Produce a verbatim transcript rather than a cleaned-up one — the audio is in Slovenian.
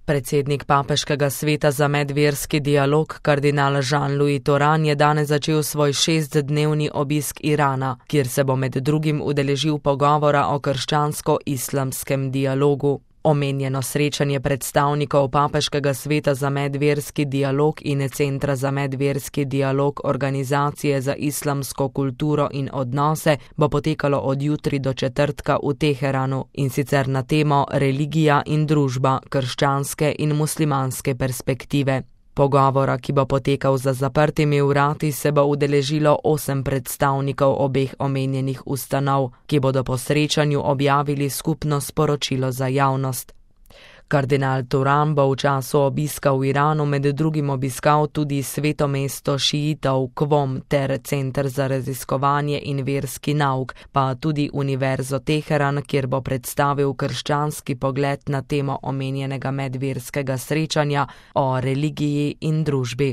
Predsednik Papeškega sveta za medverski dialog, kardinal Jean-Louis Toran, je danes začel svoj šestdnevni obisk Irana, kjer se bo med drugim udeležil pogovora o krščansko-islamskem dialogu. Omenjeno srečanje predstavnikov Papeškega sveta za medverski dialog in Centra za medverski dialog Organizacije za islamsko kulturo in odnose bo potekalo od jutri do četrtka v Teheranu, in sicer na temo religija in družba, krščanske in muslimanske perspektive. Pogovora, ki bo potekal za zaprtimi vrati, se bo udeležilo osem predstavnikov obeh omenjenih ustanov, ki bodo po srečanju objavili skupno sporočilo za javnost. Kardinal Toran bo v času obiska v Iranu med drugim obiskal tudi sveto mesto šiitov Qom ter Center za raziskovanje in verski nauk, pa tudi Univerzo Teheran, kjer bo predstavil krščanski pogled na temo omenjenega medverskega srečanja o religiji in družbi.